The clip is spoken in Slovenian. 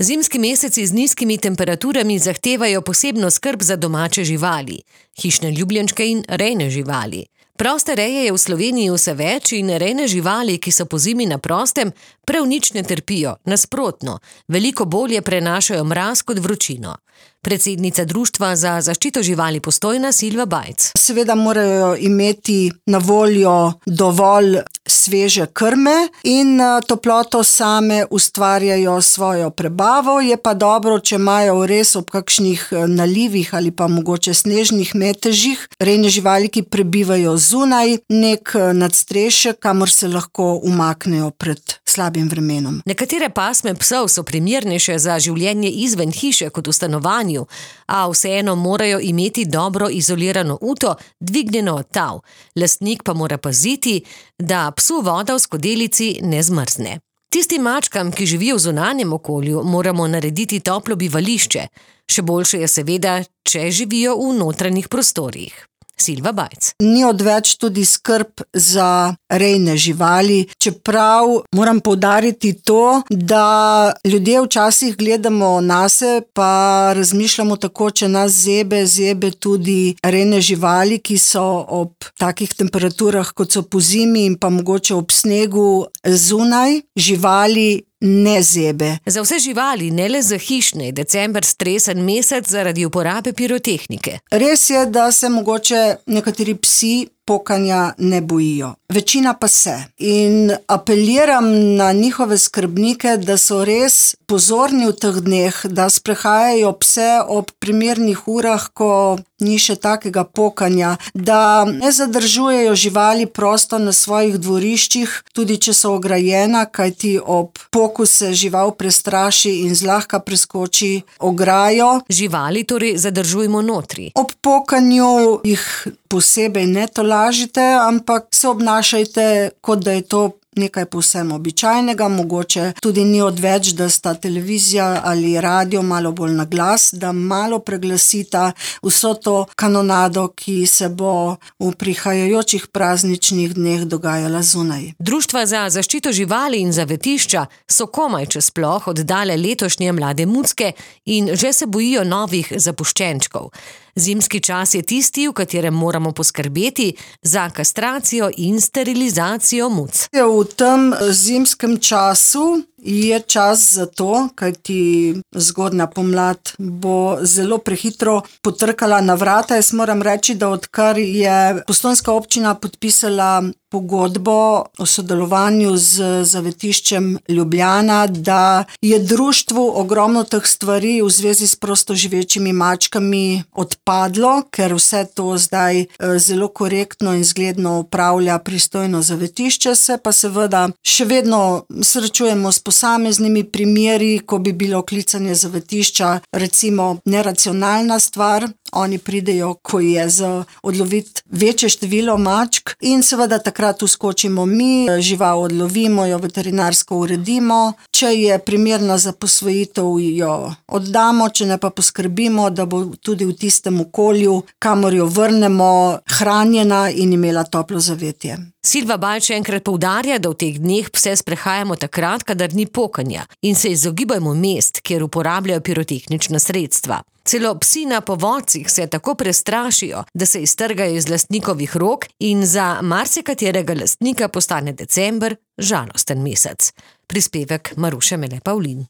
Zimski meseci z nizkimi temperaturami zahtevajo posebno skrb za domače živali, hišne ljubljenčke in rejne živali. Proste reje je v Sloveniji vse več in rejne živali, ki so pozimi na prostem, prav nič ne trpijo, nasprotno, veliko bolje prenašajo mraz kot vročino. Predsednica Društva za zaščito živali Postojna Silva Bajc. Seveda morajo imeti na voljo dovolj sveže krme in toploto same ustvarjajo svojo prebavo. Je pa dobro, če imajo res ob kakšnih nalivih ali pa mogoče snežnih metežih rejne živali, ki prebivajo zunaj, nek nadstrešek, kamor se lahko umaknejo pred slabim vremenom. Nekatere pasme psov so primernejše za življenje izven hiše kot v stanovanju, a vseeno morajo imeti dobro izolirano uto, dvignjeno od tav. Lastnik pa mora paziti, da psu voda v skodelici ne zmrzne. Tistim mačkam, ki živijo v zunanjem okolju, moramo narediti toplo bivališče. Še boljše je seveda, če živijo v notranjih prostorih. Silva Bajc. Ni odveč tudi skrb za rejne živali, čeprav moram poudariti to, da ljudje včasih gledamo nase, pa razmišljamo tako, če nas zebe tudi rejne živali, ki so ob takih temperaturah, kot so pozimi in pa mogoče ob snegu zunaj, živali ne zebe. Za vse živali, ne le za hišne, je december stresen mesec zaradi uporabe pirotehnike. Res je, da se mogoče nekateri psi pokanja ne bojijo. Večina pa se. In apeliram na njihove skrbnike, da so res pozorni v teh dneh, da sprehajajo pse ob primernih urah, ko ni še takega pokanja, da ne zadržujejo živali prosto na svojih dvoriščih, tudi če so ograjena, kajti ob poku se žival prestraši in zlahka preskoči ograjo. Živali torej zadržujemo notri. Ob pokanju jih posebej ne tolažite, ampak se obnašajte, kot da je to nekaj povsem običajnega, mogoče tudi ni odveč, da sta televizija ali radio malo bolj na glas, da malo preglasita vso to kanonado, ki se bo v prihajajočih prazničnih dneh dogajala zunaj. Društva za zaščito živali in zavetišča so komaj če sploh oddale letošnje mlade mucke in že se bojijo novih zapuščenčkov. Zimski čas je tisti, v katerem moramo poskrbeti za kastracijo in sterilizacijo muc. V tem zimskem času je čas za to, kajti zgodnja pomlad bo zelo prehitro potrkala na vrata. Jaz moram reči, da odkar je Postojnska občina podpisala pogodbo o sodelovanju z zavetiščem Ljubljana, da je društvu ogromno teh stvari v zvezi s prostoživečimi mačkami odpadlo, ker vse to zdaj zelo korektno in zgledno upravlja pristojno zavetišče, se pa seveda še vedno srečujemo s posameznimi primeri, ko bi bilo klicanje zavetišča recimo neracionalna stvar. Oni pridejo, ko je za odloviti večje število mačk in seveda takrat vskočimo mi, žival odlovimo, jo veterinarsko uredimo. Če je primerna za posvojitev, jo oddamo, če ne pa poskrbimo, da bo tudi v tistem okolju, kamor jo vrnemo, hranjena in imela toplo zavetje. Silva Bajc še enkrat poudarja, da v teh dneh pse sprehajamo takrat, kadar ni pokanja in se izogibajmo mest, kjer uporabljajo pirotehnična sredstva. Celo psi na povodcih se tako prestrašijo, da se iztrgajo iz lastnikovih rok in za marsikaterega lastnika postane december žalosten mesec. Prispevek Maruše Mele Pavlin.